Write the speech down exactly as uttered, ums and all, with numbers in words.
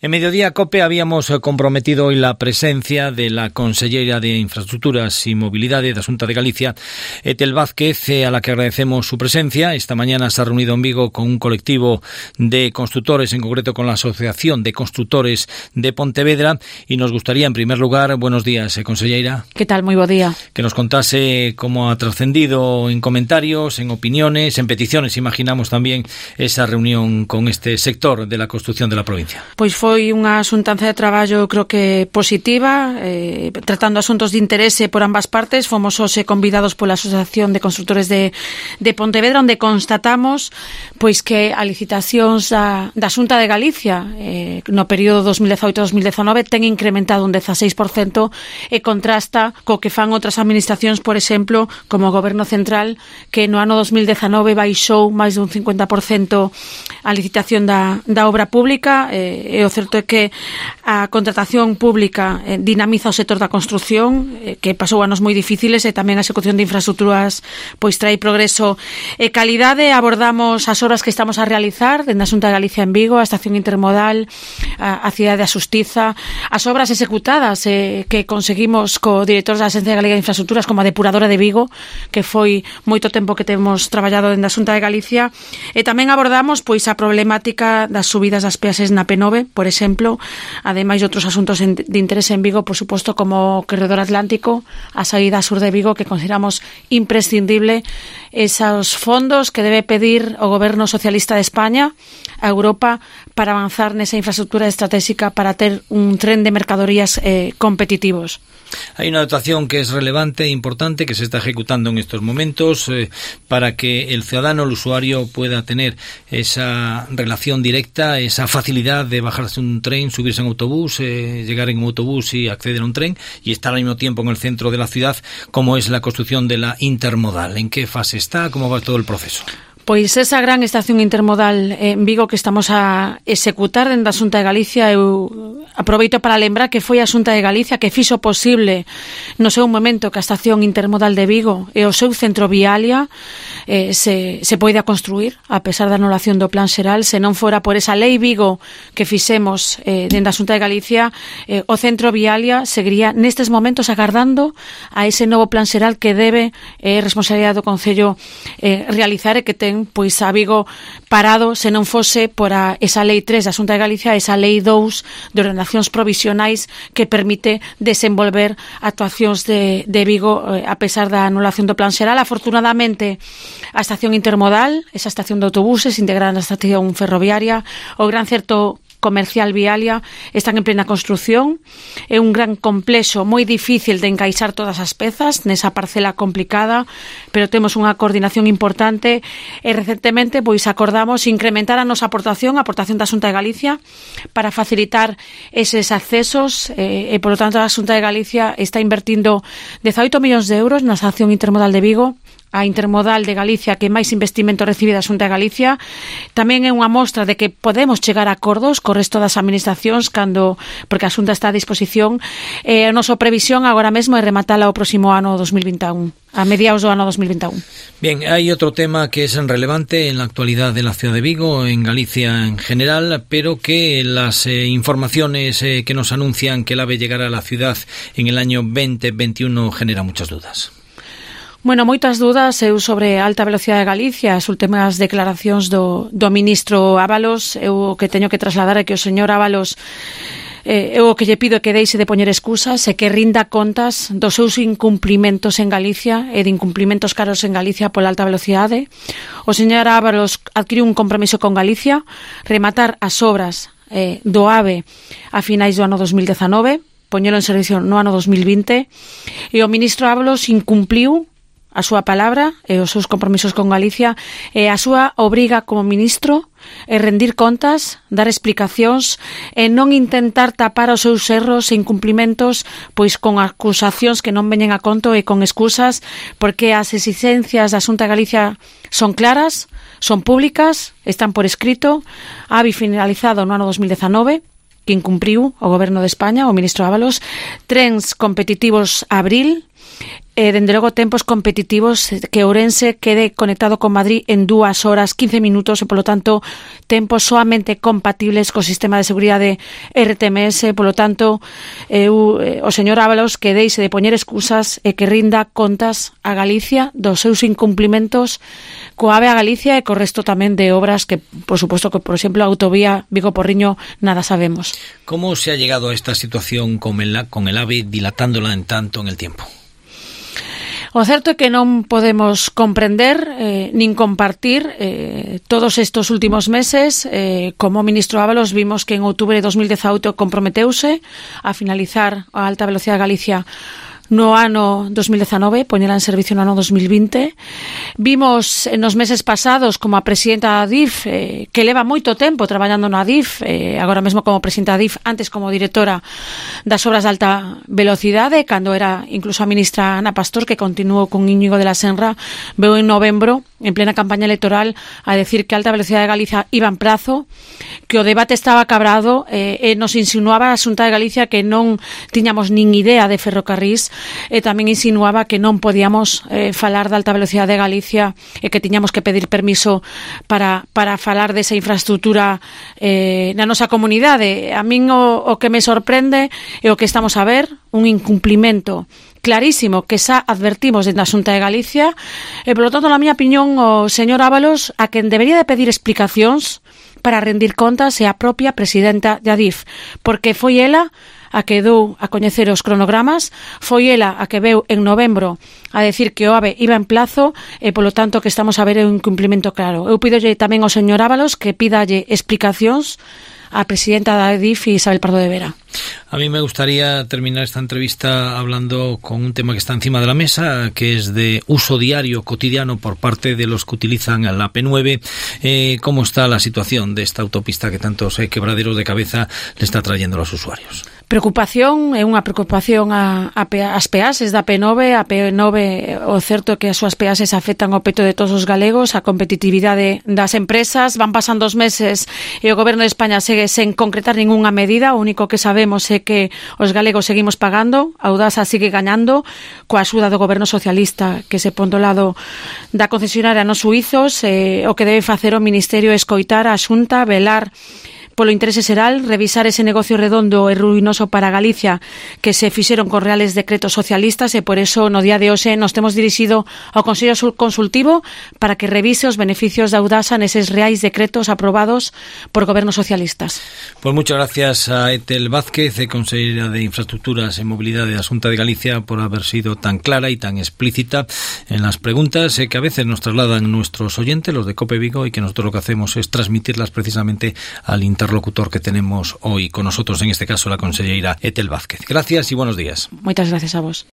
En Mediodía COPE habíamos comprometido hoy la presencia de la conselleira de Infraestructuras y Mobilidade da Xunta de Galicia, Etel Vázquez, a la que agradecemos su presencia. Esta mañana se ha reunido en Vigo con un colectivo de constructores, en concreto con la Asociación de Constructores de Pontevedra, y nos gustaría, en primer lugar, buenos días, conselleira. ¿Qué tal? Muy buen día. Que nos contase cómo ha trascendido en comentarios, en opiniones, en peticiones, imaginamos también, esa reunión con este sector de la construcción de la provincia. Pois foi Foi unha xuntanza de traballo, creo que positiva, eh, tratando asuntos de interese por ambas partes. Fomos hoxe convidados pola Asociación de Constructores de, de Pontevedra, onde constatamos pois que a licitacións da, da Xunta de Galicia eh, no período dos mil dezaoito a dos mil dezanove ten incrementado un dezaseis por cento e contrasta co que fan outras administracións, por exemplo, como o Goberno Central, que no ano dos mil dezanove baixou máis dun cincuenta por cento a licitación da, da obra pública. eh, e o certo é que a contratación pública eh, dinamiza o sector da construción, eh, que pasou anos moi difíciles, e tamén a execución de infraestructuras pois trae progreso e calidade. Abordamos as obras que estamos a realizar dende a Xunta de Galicia en Vigo, a estación intermodal, a, a cidade da Xustiza, as obras executadas eh, que conseguimos co director da Axencia Galega de Infraestructuras, como a depuradora de Vigo, que foi moito tempo que temos traballado dende a Xunta de Galicia. E tamén abordamos pois a problemática das subidas das peaxes na P nove, por exemplo, ademais de outros asuntos de interese en Vigo, por suposto, como o corredor atlántico, a saída sur de Vigo, que consideramos imprescindible esos fondos que debe pedir o Goberno Socialista de España a Europa para avanzar nesa infraestructura estratégica para ter un tren de mercadorías eh, competitivos. Hay una dotación que es relevante e importante que se está ejecutando en estos momentos eh, para que el ciudadano, el usuario, pueda tener esa relación directa, esa facilidad de bajarse un tren, subirse en autobús, eh, llegar en un autobús y acceder a un tren y estar al mismo tiempo en el centro de la ciudad, como es la construcción de la intermodal. ¿En qué fase está? ¿Cómo va todo el proceso? Pois esa gran estación intermodal en Vigo que estamos a executar dentro da Xunta de Galicia, eu aproveito para lembrar que foi a Xunta de Galicia que fixo posible no seu momento que a estación intermodal de Vigo e o seu centro vialia eh, se, se poida construir, a pesar da anulación do Plan Xeral. Se non fora por esa lei Vigo que fixemos eh, dentro da Xunta de Galicia, eh, o centro vialia seguiría nestes momentos agardando a ese novo Plan Xeral que debe eh, responsabilidade do Concello eh, realizar, e que ten pois a Vigo parado se non fose por a, esa lei tres da Xunta de Galicia, esa lei dous de ordenacións provisionais que permite desenvolver actuacións de, de Vigo eh, a pesar da anulación do Plan Xeral. Afortunadamente, a estación intermodal, esa estación de autobuses integrada na estación ferroviaria, o gran certo comercial vialia, están en plena construción. É un gran complexo moi difícil de encaixar todas as pezas nesa parcela complicada, pero temos unha coordinación importante e recentemente pois acordamos incrementar a nosa aportación, a aportación da Xunta de Galicia, para facilitar eses accesos e, e polo tanto a Xunta de Galicia está invertindo dezaoito millóns de euros na estación intermodal de Vigo, a intermodal de Galicia que máis investimento recibe da Xunta de Galicia. Tamén é unha mostra de que podemos chegar a acordos co resto das administracións cando, porque a Xunta está a disposición. E a nosa previsión agora mesmo é rematala o próximo ano dos mil vinte e un, a mediados do ano dos mil vinte e un. Bien, hay otro tema que es relevante en la actualidad de la ciudad de Vigo, en Galicia en general, pero que las eh, informaciones eh, que nos anuncian que el AVE llegará a la ciudad en el año veinte veintiuno genera muchas dudas. Bueno, moitas dudas eu sobre a alta velocidade de Galicia, as últimas declaracións do, do ministro Ábalos. Eu o que teño que trasladar é que o señor Ábalos, eh, eu o que lle pido é que deixe de poñer excusas e que rinda contas dos seus incumplimentos en Galicia e de incumplimentos caros en Galicia pola alta velocidade. O señor Ábalos adquiriu un compromiso con Galicia, rematar as obras eh, do AVE a finais do ano dos mil dezanove, poñelo en servicio no ano dos mil vinte, e o ministro Ábalos incumpliu a súa palabra e os seus compromisos con Galicia, e a súa obriga como ministro é rendir contas, dar explicacións e non intentar tapar os seus erros e incumplimentos pois con acusacións que non veñen a conto e con excusas, porque as exigencias da Xunta de Galicia son claras, son públicas, están por escrito. A AVE finalizado no ano dos mil dezanove, que incumpriu o Goberno de España, o ministro Ábalos. Trens competitivos abril, eh, dende logo tempos competitivos, que Ourense quede conectado con Madrid en dúas horas, quince minutos, e polo tanto tempos soamente compatibles co sistema de seguridade R T M S. Polo tanto, eu, eh, o señor Ábalos que deixe de poñer excusas e que rinda contas a Galicia dos seus incumplimentos coa AVE a Galicia e co resto tamén de obras que, por suposto, que por exemplo a autovía Vigo-Porriño nada sabemos. ¿Cómo se ha llegado a esta situación con el, con el AVE dilatándola en tanto en el tiempo? O certo é que non podemos comprender eh, nin compartir eh, todos estes últimos meses. Eh, como ministro Ábalos vimos que en outubro de dos mil dezaoito comprometeuse a finalizar a alta velocidade de Galicia no ano dos mil dezanove, poñela en servicio no ano dos mil vinte. Vimos nos meses pasados como a presidenta da D I F, eh, que leva moito tempo traballando na D I F, eh, agora mesmo como presidenta da D I F, antes como directora das obras de alta velocidade, cando era incluso a ministra Ana Pastor, que continuou con Íñigo de la Senra, veu en novembro, en plena campaña electoral, a decir que a alta velocidade de Galicia iba en prazo, que o debate estaba cabrado, eh, e nos insinuaba a Xunta de Galicia que non tiñamos nin idea de ferrocarrís, e tamén insinuaba que non podíamos eh, falar da alta velocidade de Galicia e que tiñamos que pedir permiso para, para falar desa infraestructura eh, na nosa comunidade. A min o, o que me sorprende é o que estamos a ver, un incumplimento clarísimo que xa advertimos dentro da Xunta de Galicia, e polo tanto, na miña opinión, o señor Ábalos a quen debería de pedir explicacións para rendir contas é a propia presidenta da D I F, porque foi ela a que dou a coñecer os cronogramas, foi ela a que veu en novembro a decir que o AVE iba en plazo, e polo tanto que estamos a ver un incumplimento claro. Eu pidolle tamén ao señor Ábalos que pídalle explicacións a presidenta da D I F, Isabel Pardo de Vera. A mí me gustaría terminar esta entrevista hablando con un tema que está encima de la mesa, que es de uso diario, cotidiano, por parte de los que utilizan la P nueve. Eh, ¿Cómo está la situación de esta autopista que tantos eh, quebraderos de cabeza le está trayendo a los usuarios? Preocupación, é unha preocupación a, a, as peaxes da P nove. A P nove, o certo é que as súas peaxes afectan o peto de todos os galegos, a competitividade das empresas. Van pasando os meses e o Goberno de España segue sen concretar ningunha medida. O único que sabemos é que os galegos seguimos pagando, a Audasa sigue gañando coa axuda do Goberno socialista, que se pon do lado da concesionaria nos suizos. Eh, o que debe facer o Ministerio é escoitar a Xunta, velar polo interese xeral, revisar ese negocio redondo e ruinoso para Galicia que se fixeron con reales decretos socialistas, e por eso no día de hoxe nos temos dirixido ao Consello Consultivo para que revise os beneficios da Audasa neses reais decretos aprobados por gobernos socialistas. Pues muchas gracias a Etel Vázquez, consellera de Infraestructuras e Mobilidade da Xunta de Galicia, por haber sido tan clara y tan explícita en las preguntas eh, que a veces nos trasladan nuestros oyentes, los de COPE Vigo, y que nosotros lo que hacemos es transmitirlas precisamente al interlocutor que tenemos hoy con nosotros, en este caso la consellera Etel Vázquez. Gracias y buenos días. Muchas gracias a vos.